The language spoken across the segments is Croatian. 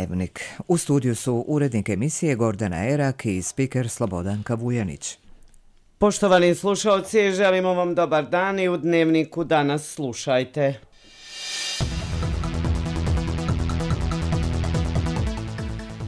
Dnevnik. U studiju su urednik emisije Gordana Erak i spiker Slobodanka Vujanić. Poštovani slušalci, želimo vam dobar dan i u Dnevniku danas slušajte.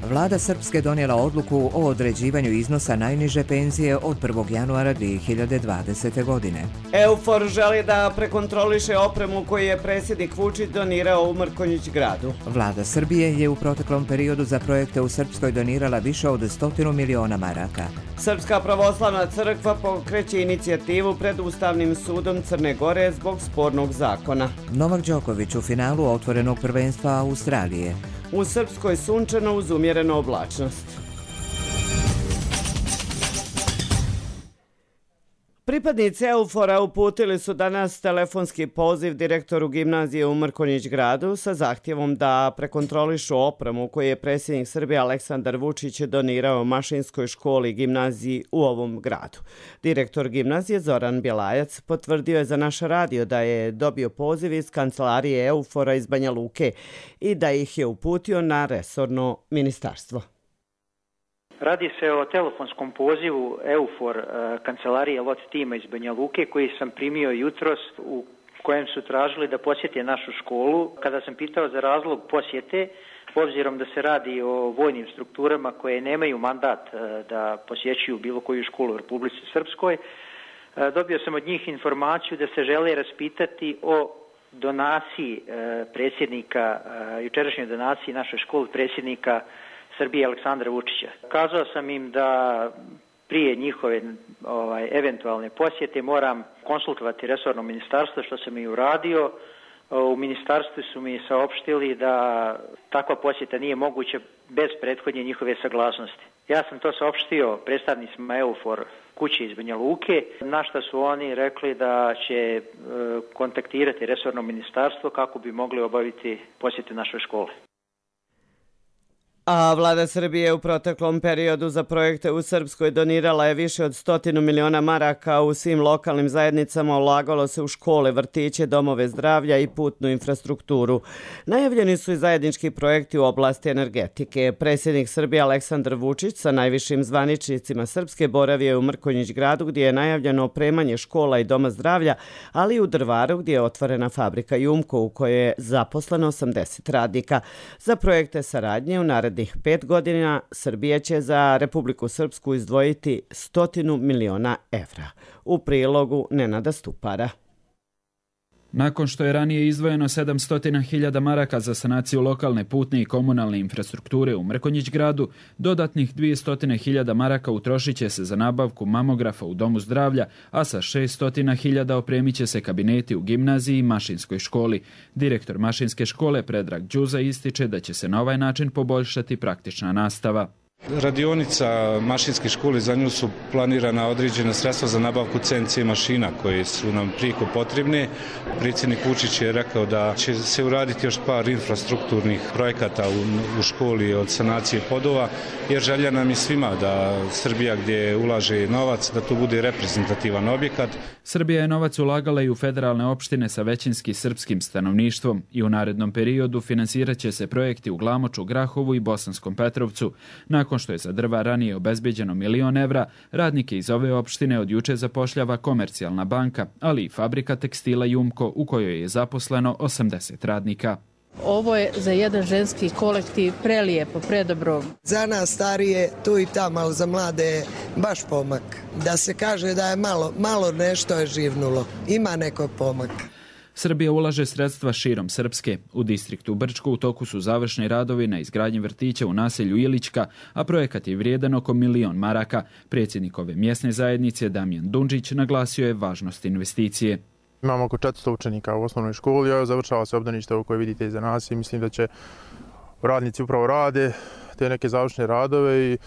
Vlada Srpske donijela odluku o određivanju iznosa najniže penzije od 1. januara 2020. godine. EUFOR želi da prekontroliše opremu koju je predsjednik Vučić donirao u Mrkonjić Gradu. Vlada Srbije je u proteklom periodu za projekte u Srpskoj donirala više od 100 miliona maraka. Srpska pravoslavna crkva pokreće inicijativu pred Ustavnim sudom Crne Gore zbog spornog zakona. Novak Đoković u finalu otvorenog prvenstva Australije. U Srpskoj sunčano uz umjerenu oblačnost. Pripadnici EUFOR-a uputili su danas telefonski poziv direktoru gimnazije u Mrkonjić Gradu sa zahtjevom da prekontrolišu opremu koju je predsjednik Srbije Aleksandar Vučić donirao mašinskoj školi i gimnaziji u ovom gradu. Direktor gimnazije Zoran Bjelajac potvrdio je za naš radio da je dobio poziv iz kancelarije EUFOR-a iz Banja Luke i da ih je uputio na resorno ministarstvo. Radi se o telefonskom pozivu EUFOR kancelarije LOT tima iz Banja Luke koji sam primio jutros u kojem su tražili da posjete našu školu. Kada sam pitao za razlog posjete, obzirom da se radi o vojnim strukturama koje nemaju mandat da posjećuju bilo koju školu u Republici Srpskoj, dobio sam od njih informaciju da se žele raspitati o donaciji predsjednika, jučerašnjoj donaciji našoj školi predsjednika Srbije Aleksandra Vučića. Kazao sam im da prije njihove eventualne posjete moram konsultovati resorno ministarstvo, što sam i uradio. U ministarstvu su mi saopštili da takva posjeta nije moguća bez prethodnje njihove saglasnosti. Ja sam to saopštio predstavnicima EUFOR kuće iz Banja Luke, na što su oni rekli da će kontaktirati resorno ministarstvo kako bi mogli obaviti posjete našoj školi. A vlada Srbije u proteklom periodu za projekte u Srpskoj donirala je više od 100 miliona maraka u svim lokalnim zajednicama, ulagalo se u škole, vrtiće, domove zdravlja i putnu infrastrukturu. Najavljeni su i zajednički projekti u oblasti energetike. Predsjednik Srbije Aleksandar Vučić sa najvišim zvaničnicima Srpske boravio u Mrkonjić Gradu gdje je najavljeno opremanje škola i doma zdravlja, ali i u Drvaru gdje je otvorena fabrika Jumko u kojoj je zaposleno 80 radnika. Za projekte saradnje u narednih 5 godina Srbija će za Republiku Srpsku izdvojiti 100 miliona evra. U prilogu Nenada Stupara. Nakon što je ranije izdvojeno 700.000 maraka za sanaciju lokalne putne i komunalne infrastrukture u Mrkonjić Gradu, dodatnih 200.000 maraka utrošit će se za nabavku mamografa u domu zdravlja, a sa 600.000 opremit će se kabineti u gimnaziji i mašinskoj školi. Direktor mašinske škole Predrag Đuza ističe da će se na ovaj način poboljšati praktična nastava. Radionica mašinske škole, za nju su planirana određena sredstva za nabavku CNC mašina koje su nam prijeko potrebne. Predsjednik Vučić je rekao da će se uraditi još par infrastrukturnih projekata u školi od sanacije podova, jer želja nam je svima da Srbija gdje ulaže novac, da to bude reprezentativan objekat. Srbija je novac ulagala i u federalne opštine sa većinski srpskim stanovništvom i u narednom periodu finansirat će se projekti u Glamoču, Grahovu i Bosanskom Petrovcu. Nakon što je za Drvar ranije obezbeđeno 1 milion evra, radnike iz ove opštine od juče zapošljava Komercijalna banka, ali i fabrika tekstila Jumko u kojoj je zaposleno 80 radnika. Ovo je za jedan ženski kolektiv prelijepo, predobro. Za nas starije, tu i tamo, ali za mlade je baš pomak. Da se kaže da je malo nešto je živnulo. Ima nekog pomaka. Srbija ulaže sredstva širom Srpske. U distriktu Brčko u toku su završni radovi na izgradnji vrtića u naselju Ilićka, a projekat je vrijedan oko 1 milion maraka. Predsjednik ove mjesne zajednice Damjan Dundžić naglasio je važnost investicije. Imamo oko 400 učenika u osnovnoj školi, a završava se obdanište ovo koje vidite iza nas i mislim da će radnici upravo rade te neke završne radove i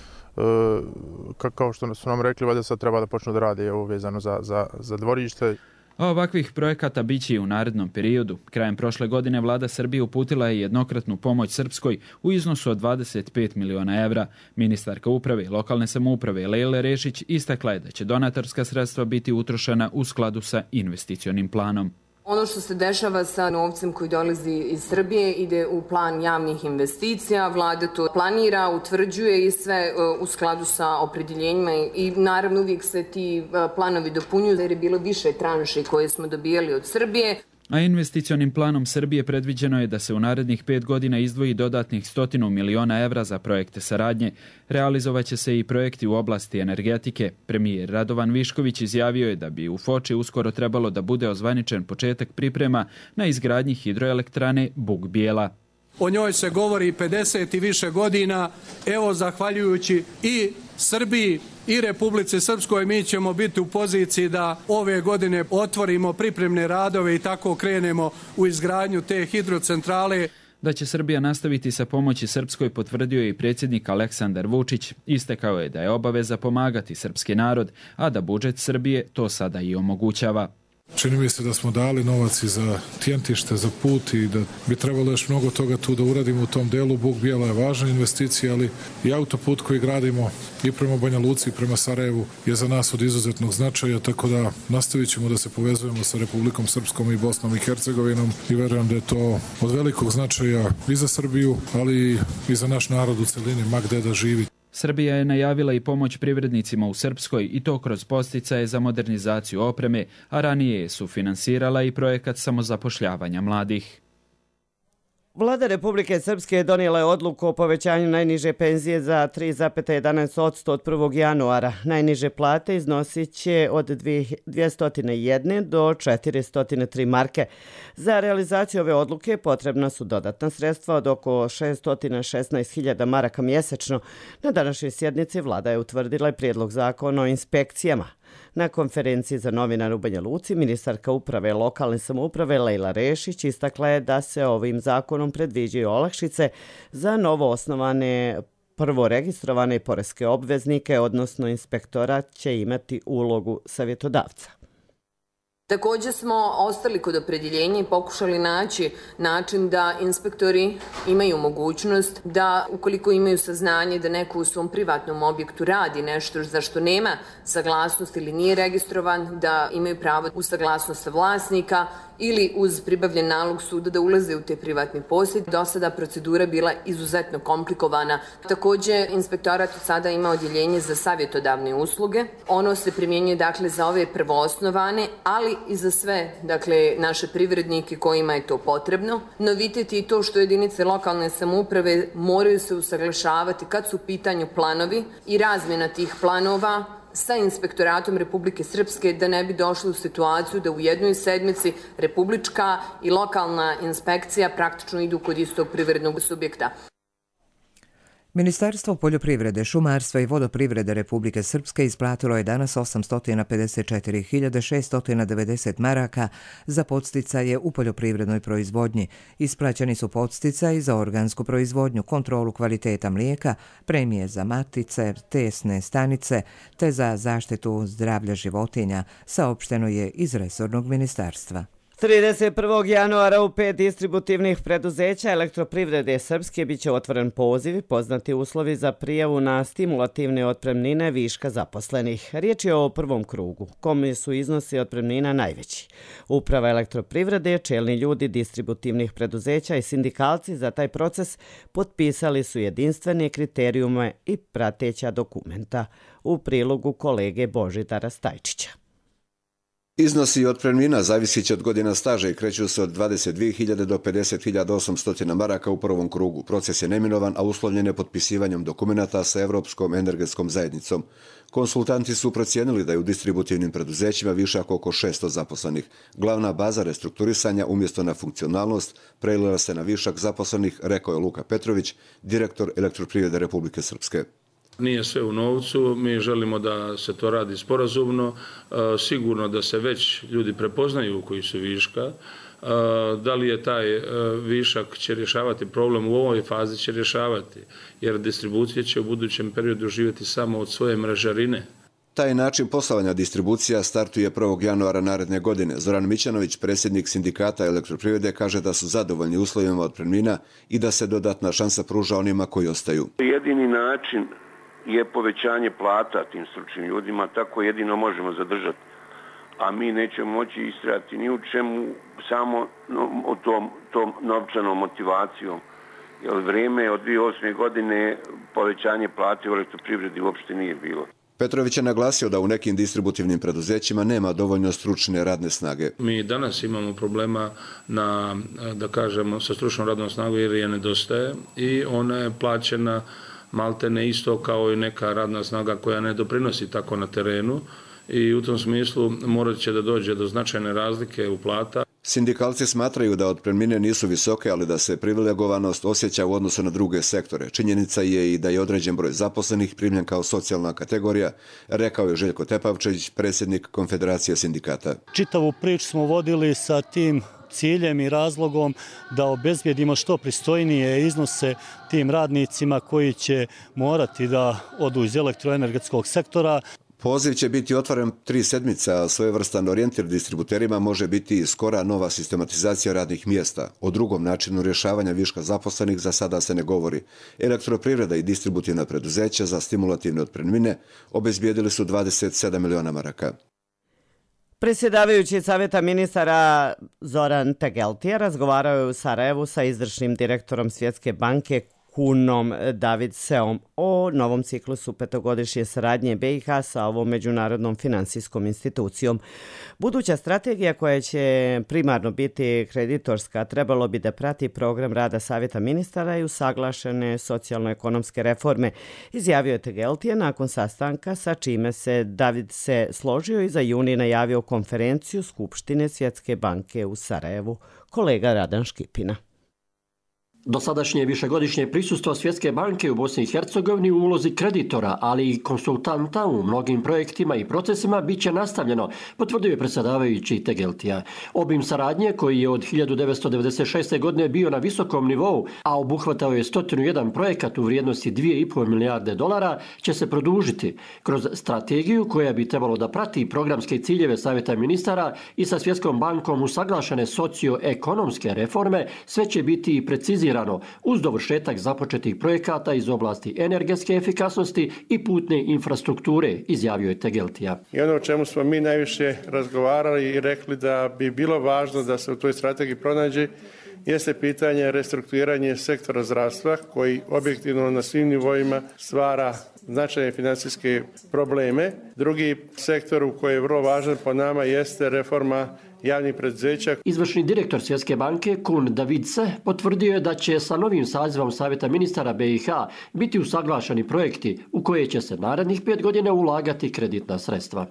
kao što su nam rekli, valjda sad treba da počnu da rade ovo vezano za dvorište. A ovakvih projekata biće i u narednom periodu. Krajem prošle godine vlada Srbije uputila je jednokratnu pomoć Srpskoj u iznosu od 25 miliona evra. Ministarka uprave i lokalne samouprave Lejla Rešić istakla je da će donatorska sredstva biti utrošena u skladu sa investicionim planom. Ono što se dešava sa novcem koji dolazi iz Srbije ide u plan javnih investicija. Vlada to planira, utvrđuje i sve u skladu sa opredjeljenjima i naravno uvijek se ti planovi dopunjuju jer je bilo više tranši koje smo dobijali od Srbije. A investicionim planom Srbije predviđeno je da se u narednih 5 godina izdvoji dodatnih 100 miliona evra za projekte saradnje. Realizovaće se i projekti u oblasti energetike. Premijer Radovan Višković izjavio je da bi u Foči uskoro trebalo da bude ozvaničen početak priprema na izgradnji hidroelektrane Buk Bijela. O njoj se govori 50 i više godina. Evo, zahvaljujući i Srbiji i Republici Srpskoj, mi ćemo biti u poziciji da ove godine otvorimo pripremne radove i tako krenemo u izgradnju te hidrocentrale. Da će Srbija nastaviti sa pomoći Srpskoj potvrdio je i predsjednik Aleksandar Vučić. Istakao je da je obaveza pomagati srpski narod, a da budžet Srbije to sada i omogućava. Čini mi se da smo dali novac i za tjentište, za put i da bi trebalo još mnogo toga tu da uradimo u tom delu. Buk Bijela je važna investicija, ali i autoput koji gradimo i prema Banja Luci i prema Sarajevu je za nas od izuzetnog značaja, tako da nastavit ćemo da se povezujemo sa Republikom Srpskom i Bosnom i Hercegovinom i verujem da je to od velikog značaja i za Srbiju, ali i za naš narod u celini, ma gde da živi. Srbija je najavila i pomoć privrednicima u Srpskoj i to kroz podsticaje za modernizaciju opreme, a ranije su finansirala i projekat samozapošljavanja mladih. Vlada Republike Srpske donijela je odluku o povećanju najniže penzije za 3,11% od 1. januara. Najniže plate iznosit će od 201 do 403 marke. Za realizaciju ove odluke potrebna su dodatna sredstva od oko 616.000 maraka mjesečno. Na današnjoj sjednici vlada je utvrdila prijedlog zakona o inspekcijama. Na konferenciji za novinare u Banja Luci ministarka uprave lokalne samouprave Lejla Rešić istakla je da se ovim zakonom predviđaju olakšice za novo osnovane prvo registrovane poreske obveznike, odnosno inspektorat će imati ulogu savjetodavca. Također smo ostali kod opredjeljenja i pokušali naći način da inspektori imaju mogućnost da ukoliko imaju saznanje da neko u svom privatnom objektu radi nešto za što nema saglasnost ili nije registrovan, da imaju pravo uz saglasnost vlasnika ili uz pribavljen nalog suda da ulaze u te privatni posjed. Do sada procedura bila izuzetno komplikovana. Također inspektorat od sada ima odjeljenje za savjetodavne usluge. Ono se primjenjuje dakle za ove prvoosnovane, ali i za sve naše privrednike kojima je to potrebno. Novitet je i to što jedinice lokalne samouprave moraju se usaglašavati kad su u pitanju planovi i razmjena tih planova sa inspektoratom Republike Srpske da ne bi došli u situaciju da u jednoj sedmici republička i lokalna inspekcija praktično idu kod istog privrednog subjekta. Ministarstvo poljoprivrede, šumarstva i vodoprivrede Republike Srpske isplatilo je danas 854.690 maraka za podsticaje u poljoprivrednoj proizvodnji. Isplaćeni su podsticaji za organsku proizvodnju, kontrolu kvaliteta mlijeka, premije za matice, tesne stanice te za zaštitu zdravlja životinja, saopšteno je iz resornog ministarstva. 31. januara u 5 distributivnih preduzeća Elektroprivrede Srpske biće otvoren poziv i poznati uslovi za prijavu na stimulativne otpremnine viška zaposlenih. Riječ je o prvom krugu, kome su iznosi otpremnina najveći. Uprava Elektroprivrede, čelni ljudi distributivnih preduzeća i sindikalci za taj proces potpisali su jedinstvene kriterijume i prateća dokumenta. U prilogu kolege Božidara Stajčića. Iznosi otpremnina zavisit će od godina staža i kreću se od 22.000 do 50.800 maraka u prvom krugu. Proces je neminovan, a uslovljen je potpisivanjem dokumenata sa Evropskom energetskom zajednicom. Konsultanti su procijenili da je u distributivnim preduzećima višak oko 600 zaposlenih. Glavna baza restrukturisanja umjesto na funkcionalnost prelila se na višak zaposlenih, rekao je Luka Petrović, direktor Elektroprivrede Republike Srpske. Nije sve u novcu, mi želimo da se to radi sporazumno, sigurno da se već ljudi prepoznaju koji su viška. Da li je taj višak će rješavati problem u ovoj fazi, će rješavati, jer distribucija će u budućem periodu živjeti samo od svoje mrežarine. Taj način poslovanja distribucija startuje 1. januara naredne godine. Zoran Mićanović, predsjednik sindikata Elektroprivrede, kaže da su zadovoljni uslovima otpremnina i da se dodatna šansa pruža onima koji ostaju. Jedini način je povećanje plata tim stručnim ljudima, tako jedino možemo zadržati a mi nećemo moći istrajati ni u čemu, samo tom novčanom motivacijom. Jer vrijeme od 2008. godine povećanje plate u elektroprivredi uopšte nije bilo. Petrović je naglasio da u nekim distributivnim preduzećima nema dovoljno stručne radne snage. Mi danas imamo problema sa stručnom radnom snagom jer je nedostaje i ona je plaćena maltene isto kao i neka radna snaga koja ne doprinosi tako na terenu i u tom smislu morat će da dođe do značajne razlike u plata. Sindikalci smatraju da otpremnine nisu visoke, ali da se privilegovanost osjeća u odnosu na druge sektore. Činjenica je i da je određen broj zaposlenih primljen kao socijalna kategorija, rekao je Željko Tepavčević, predsjednik Konfederacije sindikata. Čitavu priču smo vodili sa tim ciljem i razlogom da obezbijedimo što pristojnije iznose tim radnicima koji će morati da odu iz elektroenergetskog sektora. Poziv će biti otvoren 3 sedmice, a svojevrstan orijentir distributerima može biti i skora nova sistematizacija radnih mjesta. O drugom načinu rješavanja viška zaposlenih za sada se ne govori. Elektroprivreda i distributivna preduzeća za stimulativne otpremnine obezbijedili su 27 miliona maraka. Predsjedavajući Savjeta ministara Zoran Tegeltija razgovarao je u Sarajevu sa izvršnim direktorom Svjetske banke Kunom Davidseom o novom ciklusu petogodišnje saradnje BiH sa ovom međunarodnom finansijskom institucijom. Buduća strategija koja će primarno biti kreditorska trebalo bi da prati program rada Savjeta ministara i usaglašene socijalno-ekonomske reforme, izjavio je Tegeltije nakon sastanka sa čime se Davidse složio i za juni najavio konferenciju Skupštine Svjetske banke u Sarajevu. Kolega Radan Škipina. Dosadašnje višegodišnje prisustvo Svjetske banke u Bosni i Hercegovini u ulozi kreditora, ali i konsultanta u mnogim projektima i procesima bit će nastavljeno, potvrdio je predsjedavajući Tegeltija. Obim saradnje, koji je od 1996. godine bio na visokom nivou, a obuhvatao je 101 projekat u vrijednosti 2,5 milijarde dolara, će se produžiti kroz strategiju koja bi trebalo da prati programske ciljeve Savjeta ministara i sa Svjetskom bankom usaglašene socioekonomske reforme. Sve će biti precizirano uz dovršetak započetih projekata iz oblasti energetske efikasnosti i putne infrastrukture, izjavio je Tegeltija. I ono o čemu smo mi najviše razgovarali i rekli da bi bilo važno da se u toj strategiji pronađe jeste pitanje restrukturiranja sektora zdravstva koji objektivno na svim nivoima stvara značajne financijske probleme. Drugi sektor koji je vrlo važan po nama jeste reforma javnih preduzeća. Izvršni direktor Svjetske banke Kun Davidse potvrdio je da će sa novim sazivom Savjeta ministara BiH biti usaglašeni projekti u koje će se narednih 5 godina ulagati kreditna sredstva.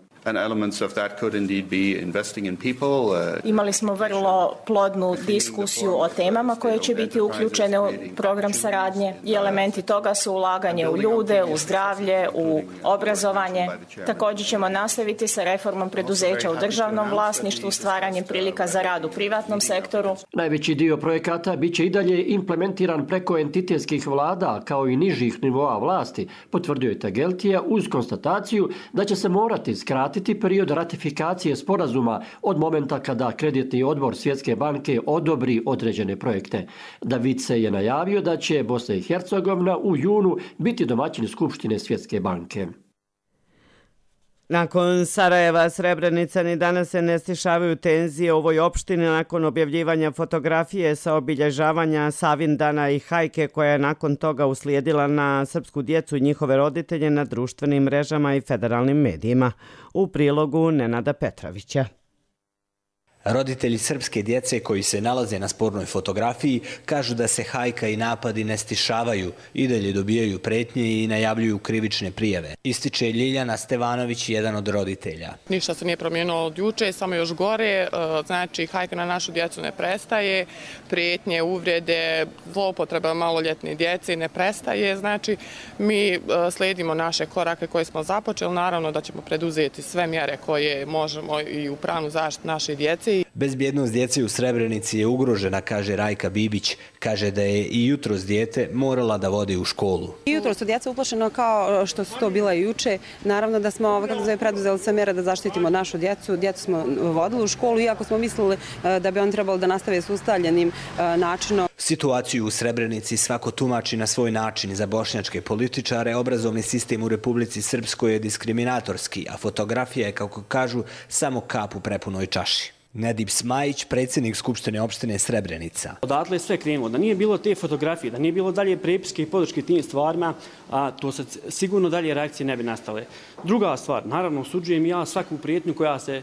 Imali smo vrlo plodnu diskusiju o temama koje će biti uključene u program saradnje i elementi toga su ulaganje u ljude, u zdravlje, u obrazovanje. Također ćemo nastaviti sa reformom preduzeća u državnom vlasništvu, stvaranjem prilika za rad u privatnom sektoru. Najveći dio projekata bit će i dalje implementiran preko entitetskih vlada kao i nižih nivoa vlasti, potvrdio je Tegeltija uz konstataciju da će se morati skratiti period ratifikacije sporazuma od momenta kada kreditni odbor Svjetske banke odobri određene projekte. Davidse je najavio da će Bosna i Hercegovina u junu biti domaćin Skupštine Svjetske banke. Nakon Sarajeva, Srebrenica ni danas se ne stišavaju tenzije u ovoj opštini nakon objavljivanja fotografije sa obilježavanja Savindana i hajke koja je nakon toga uslijedila na srpsku djecu i njihove roditelje na društvenim mrežama i federalnim medijima. U prilogu Nenada Petrovića. Roditelji srpske djece koji se nalaze na spornoj fotografiji kažu da se hajka i napadi ne stišavaju, i dalje dobijaju pretnje i najavljuju krivične prijave. Ističe Ljiljana Stevanović, jedan od roditelja. Ništa se nije promijenilo od juče, samo još gore. Znači, hajka na našu djecu ne prestaje, prijetnje, uvrede, zloupotreba maloljetne djece ne prestaje. Znači, mi slijedimo naše korake koje smo započeli. Naravno da ćemo preduzeti sve mjere koje možemo i u pravnu zaštitu naše djece djece. Bezbjednost djece u Srebrenici je ugrožena, kaže Rajka Bibić. Kaže da je i jutros dijete morala da vodi u školu. Jutros su djeca uplašeno kao što su to bila i juče. Naravno da smo preduzeli sve mjere da zaštitimo našu djecu. Djecu smo vodili u školu, iako smo mislili da bi on trebalo da nastave s ustaljenim načinom. Situaciju u Srebrenici svako tumači na svoj način. Za bošnjačke političare obrazovni sistem u Republici Srpskoj je diskriminatorski, a fotografija je, kako kažu, samo kap u prepunoj čaši. Nedip Smajić, predsjednik Skupštine opštine Srebrenica. Odatle je sve krenulo. Da nije bilo te fotografije, da nije bilo dalje prepiske i podrške tim stvarima, to sad sigurno dalje reakcije ne bi nastale. Druga stvar, naravno, osuđujem ja svaku prijetnju koja se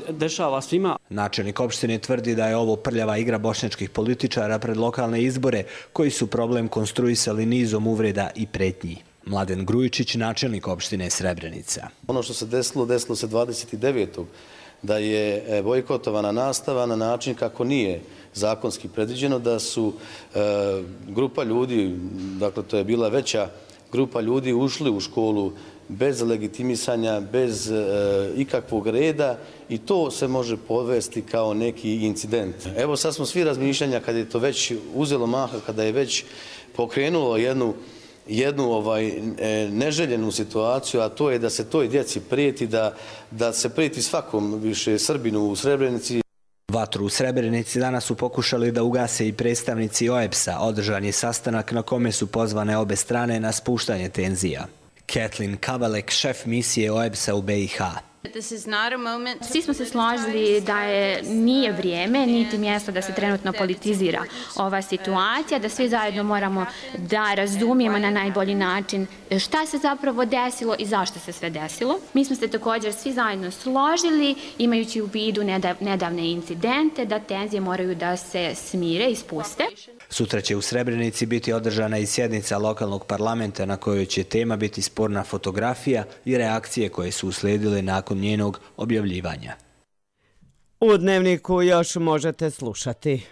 dešava svima. Načelnik opštine tvrdi da je ovo prljava igra bošnjačkih političara pred lokalne izbore, koji su problem konstruisali nizom uvreda i pretnji. Mladen Grujičić, načelnik opštine Srebrenica. Ono što se desilo se 29. da je bojkotovana nastava na način kako nije zakonski predviđeno, da su grupa ljudi, dakle to je bila veća grupa ljudi, ušli u školu bez legitimisanja, bez ikakvog reda i to se može povesti kao neki incident. Evo sad smo svi razmišljanja kad je to već uzelo maha, kada je već pokrenulo jednu neželjenu situaciju, a to je da se toj djeci prijeti, da se prijeti svakom više Srbinu u Srebrenici. Vatru u Srebrenici danas su pokušali da ugase i predstavnici OEBS-a. Održan je sastanak na kome su pozvane obe strane na spuštanje tenzija. Kathleen Kavalek, šef misije OEBS-a u BiH. Svi smo se složili da nije vrijeme, niti mjesto da se trenutno politizira ova situacija, da svi zajedno moramo da razumijemo na najbolji način šta se zapravo desilo i zašto se sve desilo. Mi smo se također svi zajedno složili, imajući u vidu nedavne incidente, da tenzije moraju da se smire i spuste. Sutra će u Srebrenici biti održana i sjednica lokalnog parlamenta na kojoj će tema biti sporna fotografija i reakcije koje su uslijedile nakon njenog objavljivanja. U Dnevniku još možete slušati.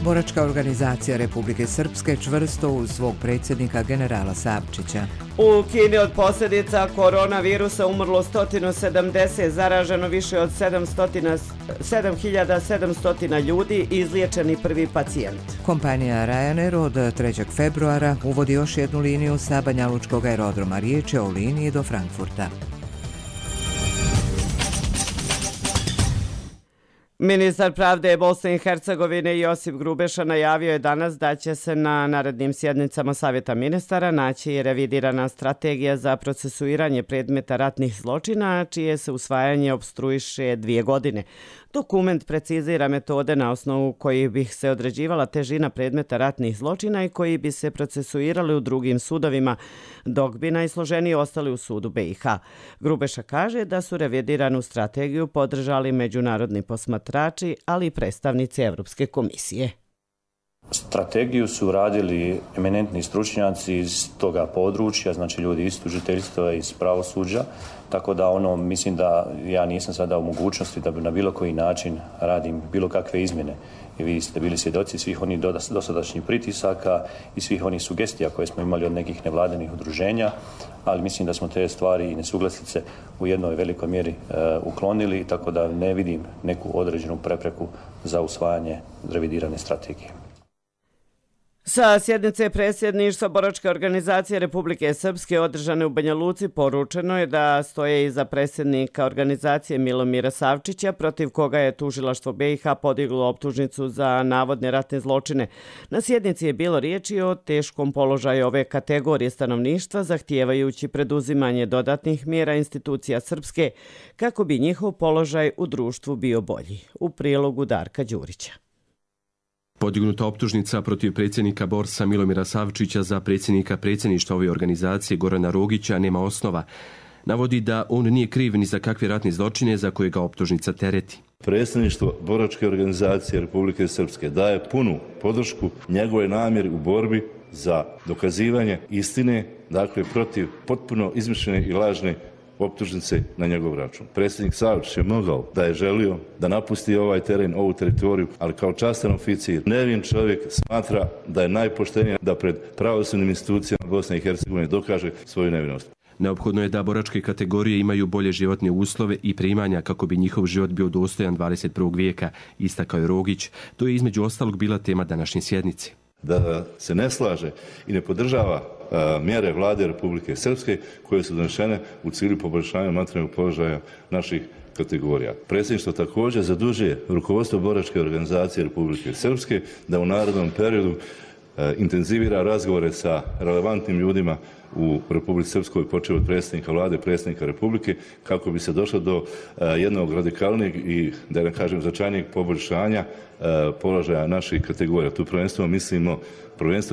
Boračka organizacija Republike Srpske čvrsto uz svog predsjednika generala Savčića. U Kini od posljedica koronavirusa umrlo 170, zaraženo više od 7700 ljudi i izliječeni prvi pacijent. Kompanija Ryanair od 3. februara uvodi još jednu liniju sa Banjalučkog aerodroma. Riječ je o liniji do Frankfurta. Ministar pravde Bosne i Hercegovine Josip Grubeša najavio je danas da će se na narednim sjednicama Savjeta ministara naći revidirana strategija za procesuiranje predmeta ratnih zločina, čije se usvajanje opstruiše 2 godine. Dokument precizira metode na osnovu kojih bi se određivala težina predmeta ratnih zločina i koji bi se procesuirali u drugim sudovima, dok bi najsloženiji ostali u sudu BiH. Grubeša kaže da su revidiranu strategiju podržali međunarodni posmatrači, ali i predstavnici Evropske komisije. Strategiju su radili eminentni stručnjaci iz toga područja, znači ljudi iz tužiteljstva, iz pravosuđa, tako da mislim da ja nisam sada u mogućnosti da bi na bilo koji način radim bilo kakve izmjene. I vi ste bili svjedoci svih onih dosadašnjih pritisaka i svih onih sugestija koje smo imali od nekih nevladinih udruženja, ali mislim da smo te stvari i nesuglasice u jednoj velikoj mjeri uklonili, tako da ne vidim neku određenu prepreku za usvajanje revidirane strategije. Sa sjednice predsjedništva Boračke organizacije Republike Srpske održane u Banja Luci poručeno je da stoje iza predsjednika organizacije Milomira Savčića, protiv koga je tužilaštvo BiH podiglo optužnicu za navodne ratne zločine. Na sjednici je bilo riječi o teškom položaju ove kategorije stanovništva, zahtijevajući preduzimanje dodatnih mjera institucija Srpske kako bi njihov položaj u društvu bio bolji. U prilogu Darka Đurića. Podignuta optužnica protiv predsjednika Borsa Milomira Savčića za predsjedništva ove organizacije Gorana Rogića nema osnova. Navodi da on nije kriv ni za kakve ratne zločine za koje ga optužnica tereti. Predsjedništvo Boračke organizacije Republike Srpske daje punu podršku njegove namjeri u borbi za dokazivanje istine, dakle protiv potpuno izmišljene i lažne optužnice na njegov račun. Predsjednik Savčić je mogao, da je želio, da napusti ovaj teren, ovu teritoriju, ali kao častan oficir, nevin čovjek smatra da je najpoštenije da pred pravosudnim institucijama Bosne i Hercegovine dokaže svoju nevinost. Neophodno je da boračke kategorije imaju bolje životne uslove i primanja kako bi njihov život bio dostojan 21. vijeka, istakao je Rogić. To je između ostalog bila tema današnje sjednice. Da se ne slaže i ne podržava mjere vlade Republike Srpske koje su donešene u cilju poboljšanja materijalnog položaja naših kategorija. Predsjedništvo također zadužuje rukovodstvo boračke organizacije Republike Srpske da u narednom periodu intenzivira razgovore sa relevantnim ljudima u Republici Srpskoj, počev od predsjednika vlade, predsjednika Republike, kako bi se došlo do jednog radikalnijeg i, da ne kažem, značajnijeg poboljšanja položaja naših kategorija. Tu prvenstveno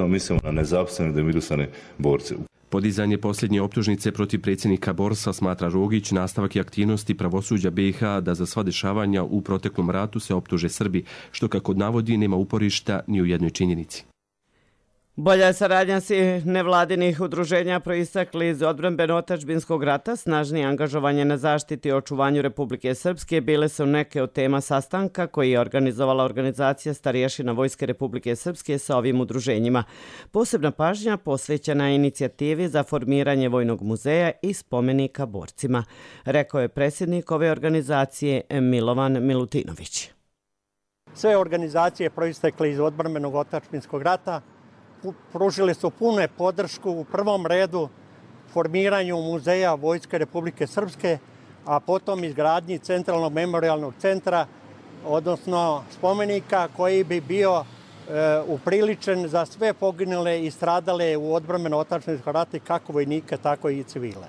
mislimo na nezaposlene demirisane borce. Podizanje posljednje optužnice protiv predsjednika Borsa, smatra Rogić, nastavak i aktivnosti pravosuđa BiH da za sva dešavanja u proteklom ratu se optuže Srbi, što kako navodi nema uporišta ni u jednoj činjenici. Bolja saradnja svih nevladinih udruženja proistekli iz odbrambeno-otadžbinskog rata, snažnije angažovanje na zaštiti i očuvanju Republike Srpske bile su neke od tema sastanka koji je organizovala organizacija starješina Vojske Republike Srpske sa ovim udruženjima. Posebna pažnja posvećena je inicijativi za formiranje Vojnog muzeja i spomenika borcima, rekao je predsjednik ove organizacije Milovan Milutinović. Sve organizacije proistekle iz odbrambeno-otadžbinskog rata pružili su punu podršku u prvom redu formiranju muzeja Vojske Republike Srpske, a potom izgradnji centralnog memorijalnog centra, odnosno spomenika koji bi bio upriličen za sve poginule i stradale u odbrambeno-otadžbinskom ratu, kako vojnike, tako i civile.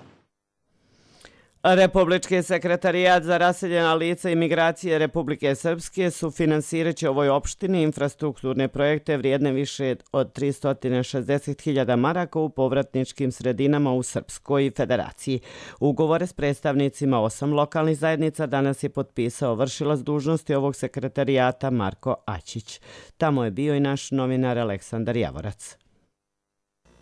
Republički sekretarijat za raseljena lica i migracije Republike Srpske sufinansiraće ovoj opštini infrastrukturne projekte vrijedne više od 360.000 maraka u povratničkim sredinama u Srpskoj federaciji. Ugovore s predstavnicima 8 lokalnih zajednica danas je potpisao vršilac dužnosti ovog sekretarijata Marko Aćić. Tamo je bio i naš novinar Aleksandar Javorac.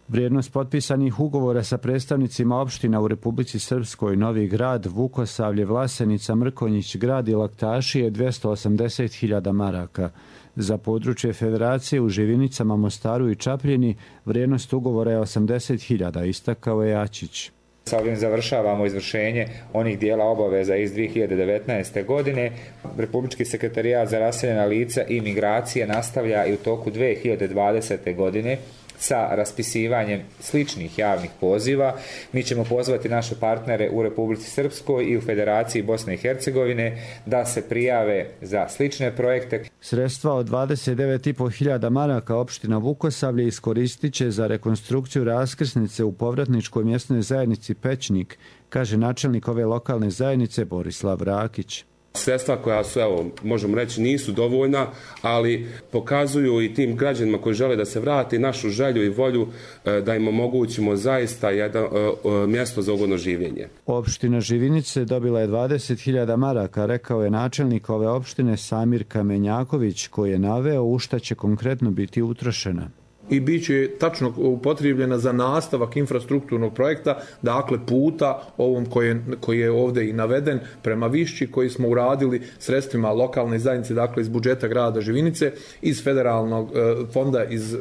Vrijednost potpisanih ugovora sa predstavnicima opština u Republici Srpskoj, Novi Grad, Vukosavlje, Vlasenica, Mrkonjić, Grad i Laktaši je 280.000 maraka. Za područje federacije u Živinicama, Mostaru i Čapljini vrijednost ugovora je 80.000, istakao je Aćić. Sa ovim završavamo izvršenje onih dijela obaveza iz 2019. godine. Republički sekretarijat za raseljena lica i migracije nastavlja i u toku 2020. godine sa raspisivanjem sličnih javnih poziva. Mi ćemo pozvati naše partnere u Republici Srpskoj i u Federaciji Bosne i Hercegovine da se prijave za slične projekte. Sredstva od 29.500 maraka opština Vukosavlje iskoristit će za rekonstrukciju raskrsnice u povratničkoj mjesnoj zajednici Pećnik, kaže načelnik ove lokalne zajednice Borislav Rakić. Sredstva koja su, možemo reći, nisu dovoljna, ali pokazuju i tim građanima koji žele da se vrati našu želju i volju da im omogućimo zaista jedno mjesto za ugodno življenje. Opština Živinice dobila je 20.000 maraka, rekao je načelnik ove opštine Samir Kamenjaković, koji je naveo u šta će konkretno biti utrošena. I bit će tačno upotrijebljena za nastavak infrastrukturnog projekta, dakle puta ovom koji je ovdje i naveden prema Višći, koji smo uradili sredstvima lokalne zajednice, dakle iz budžeta grada Živinice, iz federalnog fonda, iz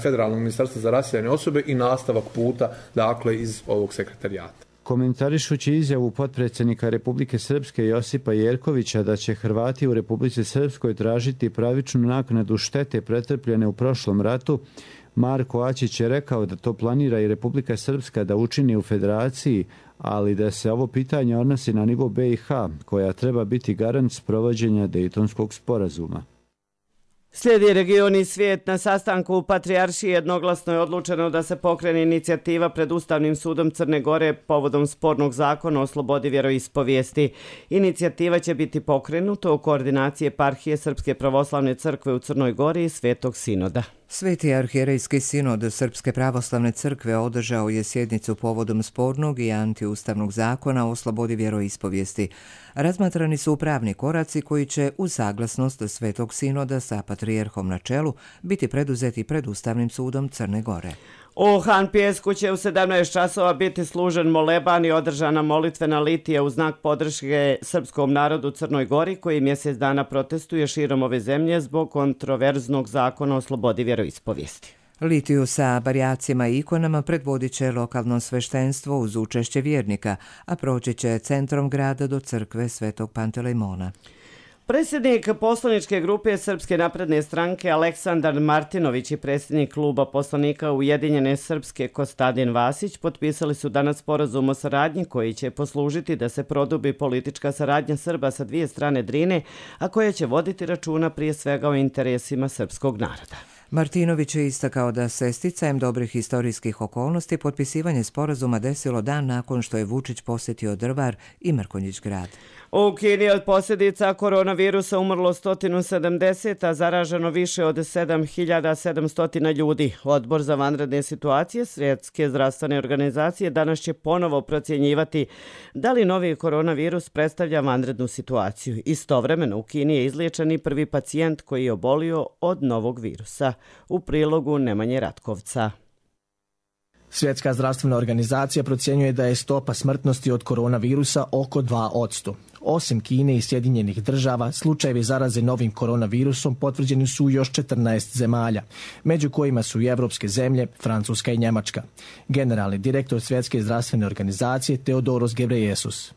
federalnog ministarstva za raseljene osobe i nastavak puta, dakle iz ovog sekretarijata. Komentarišući izjavu potpredsjednika Republike Srpske Josipa Jerkovića da će Hrvati u Republici Srpskoj tražiti pravičnu naknadu štete pretrpljene u prošlom ratu, Marko Aćić je rekao da to planira i Republika Srpska da učini u federaciji, ali da se ovo pitanje odnosi na nivo BiH, koja treba biti garant sprovođenja Dejtonskog sporazuma. Slijedi region i svijet. Na sastanku u Patrijaršiji jednoglasno je odlučeno da se pokrene inicijativa pred Ustavnim sudom Crne Gore povodom spornog zakona o slobodi vjeroispovijesti. Inicijativa će biti pokrenuta u koordinaciji eparhije Srpske pravoslavne crkve u Crnoj Gori i Svetog sinoda. Sveti arhijerejski sinod Srpske pravoslavne crkve održao je sjednicu povodom spornog i antiustavnog zakona o slobodi vjeroispovijesti. Razmatrani su pravni koraci koji će uz saglasnost Svetog sinoda sa patrijarhom na čelu biti preduzeti pred Ustavnim sudom Crne Gore. U Han Pijesku će u 17 časova biti služen moleban i održana molitvena litija u znak podrške srpskom narodu u Crnoj Gori, koji mjesec dana protestuje širom ove zemlje zbog kontroverznog zakona o slobodi vjeroispovijesti. Litiju sa barjacima i ikonama predvodit će lokalno sveštenstvo uz učešće vjernika, a proći će centrom grada do crkve Svetog Pantelejmona. Predsjednik poslaničke grupe Srpske napredne stranke Aleksandar Martinović i predsjednik kluba poslanika Ujedinjene Srpske Kostadin Vasić potpisali su danas sporazum o saradnji koji će poslužiti da se produbi politička saradnja Srba sa dvije strane Drine, a koja će voditi računa prije svega o interesima srpskog naroda. Martinović je istakao da se sticajem dobrih historijskih okolnosti potpisivanje sporazuma desilo dan nakon što je Vučić posjetio Drvar i Mrkonjić grad. U Kini od posljedica koronavirusa umrlo 170, a zaraženo više od 7700 ljudi. Odbor za vanredne situacije Svjetske zdravstvene organizacije danas će ponovo procjenjivati da li novi koronavirus predstavlja vanrednu situaciju. Istovremeno u Kini je izliječen i prvi pacijent koji je obolio od novog virusa. U prilogu Nemanje Ratkovca. Svjetska zdravstvena organizacija procjenjuje da je stopa smrtnosti od koronavirusa oko 2%. Osim Kine i Sjedinjenih država, slučajevi zaraze novim koronavirusom potvrđeni su u još 14 zemalja, među kojima su i evropske zemlje, Francuska i Njemačka. Generalni direktor Svjetske zdravstvene organizacije Teodoros Ghebreyesus.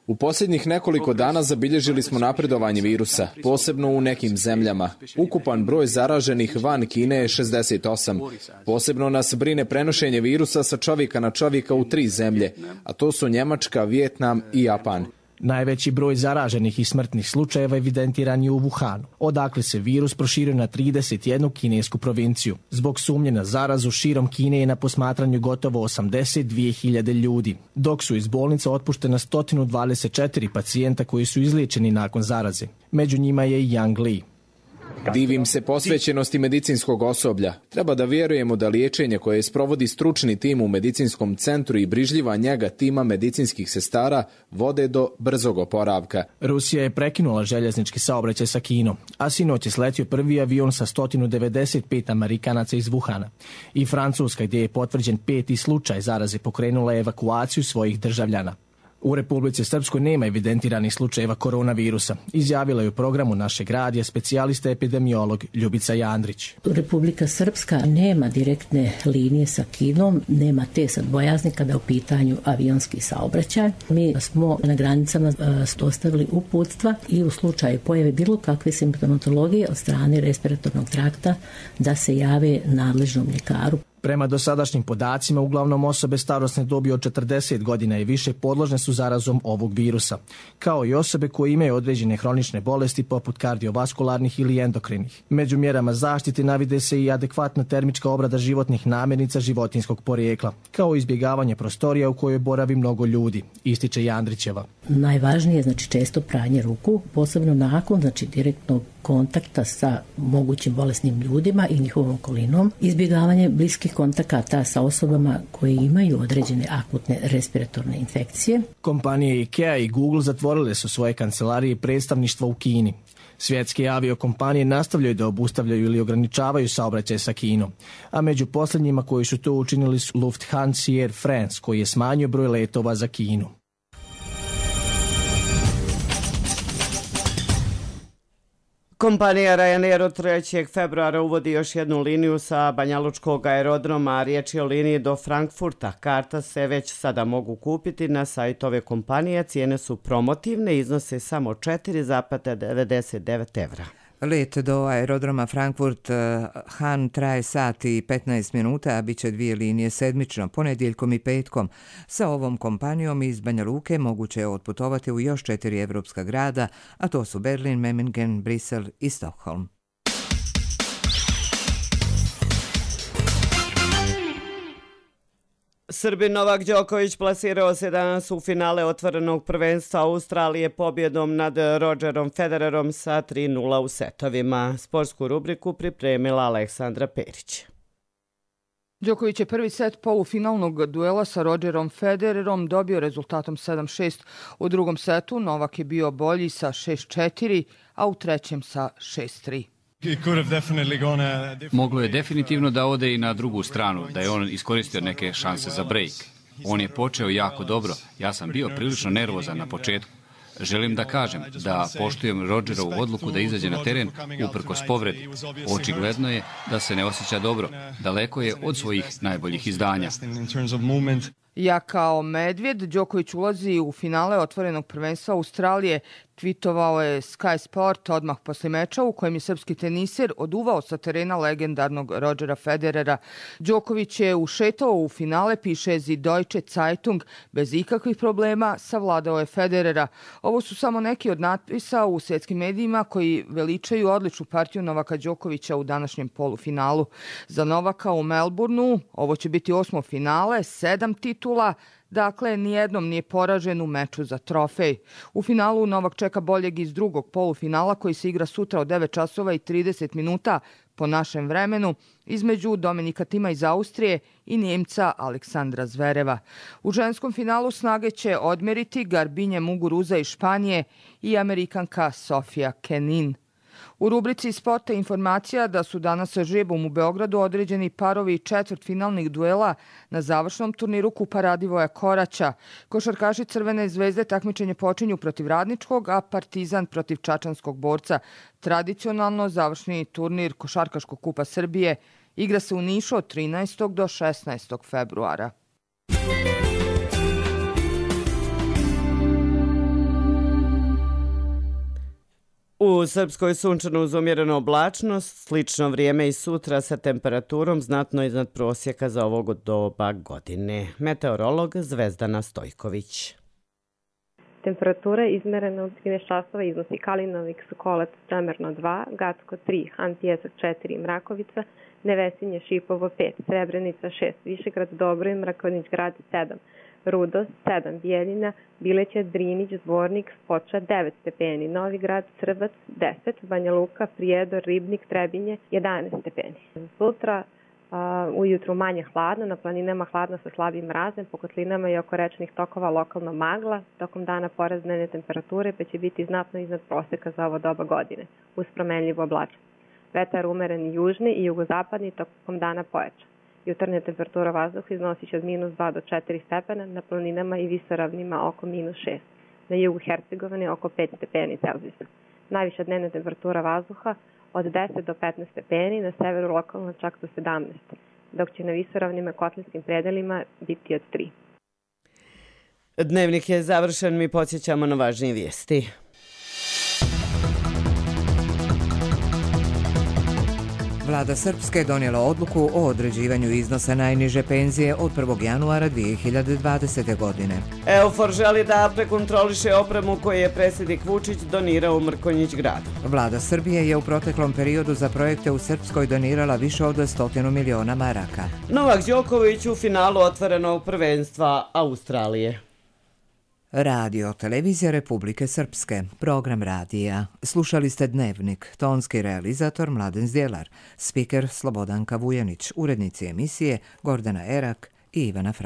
U posljednjih nekoliko dana zabilježili smo napredovanje virusa, posebno u nekim zemljama. Ukupan broj zaraženih van Kine je 68. Posebno nas brine prenošenje virusa sa čovjeka na čovjeka u 3 zemlje, a to su Njemačka, Vijetnam i Japan. Najveći broj zaraženih i smrtnih slučajeva evidentiran je u Wuhanu, odakle se virus proširio na 31 kinesku provinciju. Zbog sumnje na zarazu širom Kine je na posmatranju gotovo 82.000 ljudi, dok su iz bolnica otpuštena 124 pacijenta koji su izliječeni nakon zaraze. Među njima je i Yang Li. Divim se posvećenosti medicinskog osoblja. Treba da vjerujemo da liječenje koje sprovodi stručni tim u medicinskom centru i brižljiva njega tima medicinskih sestara vode do brzog oporavka. Rusija je prekinula željeznički saobraćaj sa Kinom, a sinoć je sletio prvi avion sa 195 Amerikanaca iz Wuhana. I Francuska, gdje je potvrđen 5. slučaj zaraze, pokrenula evakuaciju svojih državljana. U Republici Srpskoj nema evidentiranih slučajeva koronavirusa, izjavila je u programu našeg radija specijalista epidemiolog Ljubica Jandrić. Republika Srpska nema direktne linije sa Kinom, nema te sad bojazni kada je u pitanju avionski saobraćaj. Mi smo na granicama dostavili uputstva i u slučaju pojave bilo kakve simptomatologije od strane respiratornog trakta da se jave nadležnom ljekaru. Prema dosadašnjim podacima, uglavnom osobe starosne dobi od 40 godina i više podložne su zarazom ovog virusa, kao i osobe koje imaju određene hronične bolesti poput kardiovaskularnih ili endokrinih. Među mjerama zaštite navide se i adekvatna termička obrada životnih namirnica životinjskog porijekla, kao i izbjegavanje prostorija u kojoj boravi mnogo ljudi, ističe Jandrićeva. Najvažnije je često pranje ruku, posebno nakon direktnog kontakta sa mogućim bolesnim ljudima i njihovom okolinom, izbjegavanje bliskih kontakata sa osobama koje imaju određene akutne respiratorne infekcije. Kompanije IKEA i Google zatvorile su svoje kancelarije i predstavništva u Kini. Svjetske aviokompanije nastavljaju da obustavljaju ili ograničavaju saobraćaj sa Kinom, a među posljednjima koji su to učinili su Lufthansa i Air France, koji je smanjio broj letova za Kinu. Kompanija Ryanair od 3. februara uvodi još jednu liniju sa Banjalučkog aerodroma, a riječ je o liniji do Frankfurta. Karta se već sada mogu kupiti na sajtu ove kompanije, cijene su promotivne, iznose samo 4,99 evra. Let do aerodroma Frankfurt-Hahn traje sat i 15 minuta, a bit će 2 linije sedmično, ponedjeljkom i petkom. Sa ovom kompanijom iz Banja Luke moguće je otputovati u još 4 evropska grada, a to su Berlin, Memmingen, Brisel i Stockholm. Srbin Novak Đoković plasirao se danas u finale otvorenog prvenstva Australije pobjedom nad Rogerom Federerom sa 3:0 u setovima. Sportsku rubriku pripremila Aleksandra Perić. Đoković je prvi set polufinalnog duela sa Rogerom Federerom dobio rezultatom 7:6. U drugom setu Novak je bio bolji sa 6:4, a u trećem sa 6:3. Moglo je definitivno da ode i na drugu stranu, da je on iskoristio neke šanse za break. On je počeo jako dobro, ja sam bio prilično nervozan na početku. Želim da kažem da poštujem Rodgerovu odluku da izađe na teren uprkos povredi. Očigledno je da se ne osjeća dobro. Daleko je od svojih najboljih izdanja. Ja kao medvjed, Đoković ulazi u finale otvorenog prvenstva Australije. Twitovao je Sky Sport odmah posle meča u kojem je srpski teniser oduvao sa terena legendarnog Rodgera Federera. Đoković je ušetao u finale, piše Die Deutsche Zeitung, bez ikakvih problema savladao je Federera. Ovo su samo neki od natpisa u svjetskim medijima koji veličaju odličnu partiju Novaka Đokovića u današnjem polufinalu. Za Novaka u Melbourneu ovo će biti 8. finale, 7 titula. Dakle, nijednom nije poražen u meču za trofej. U finalu Novak čeka boljeg iz drugog polufinala koji se igra sutra od 9 časova i 30 minuta po našem vremenu između Dominika Tima iz Austrije i Njemca Aleksandra Zvereva. U ženskom finalu snage će odmeriti Garbinje Muguruza iz Španije i Amerikanka Sofia Kenin. U rubrici Sporta informacija da su danas sa žrebom u Beogradu određeni parovi četvrtfinalnih duela na završnom turniru Kupa Radivoja Koraća. Košarkaši Crvene zvezde takmičenje počinju protiv Radničkog, a Partizan protiv Čačanskog borca. Tradicionalno završni turnir Košarkaškog kupa Srbije igra se u Nišu od 13. do 16. februara. U Srpskoj sunčano uz umjerenu oblačnost, slično vrijeme i sutra sa temperaturom znatno iznad prosjeka za ovog doba godine. Meteorolog Zvezdana Stojković. Temperatura izmerena u 13 časova iznosi Kalinovik, Sokolac, Čemerno 2, Gacko 3, Han Pjesak 4, Mrakovica, Nevesinje, Šipovo 5, Srebrenica 6, Višegrad, Dobroj, Mrakovnić grad 7, Rudo 7, Bijeljina, Bileća, Drinić, Zvornik, Spoča 9 stepeni, Novi Grad, Crvac 10, Banja Luka, Prijedor, Ribnik, Trebinje 11 stepeni. Sutra ujutru manje hladno, na planinama hladno sa slabim mrazem, po kotlinama i oko rečnih tokova lokalno magla, tokom dana porast dnevne temperature pa će biti znatno iznad proseka za ovo doba godine, uz promenljivu oblačnost. Vetar umeren južni i jugozapadni tokom dana pojača. Jutarnja temperatura vazduha iznosi će od -2 do 4 stepena, na planinama i visoravnima oko -6, na jugu Hercegovine oko 5 stepeni Celzijusa. Najviša dnevna temperatura vazduha od 10 do 15 stepeni, na severu lokalno čak do 17, dok će na visoravnima kotlinskim predelima biti od 3. Dnevnik je završen, mi podsjećamo na važnije vijesti. Vlada Srpske donijela odluku o određivanju iznosa najniže penzije od 1. januara 2020. godine. EUFOR želi da prekontroliše opremu koju je predsjednik Vučić donirao u Mrkonjić gradu. Vlada Srbije je u proteklom periodu za projekte u Srpskoj donirala više od 100 miliona maraka. Novak Đoković u finalu otvorenog prvenstva Australije. Radio Televizija Republike Srpske, program radija. Slušali ste Dnevnik, tonski realizator Mladen Zdjelar, spiker Slobodanka Vujanić, urednici emisije Gordana Erak i Ivana Franjić.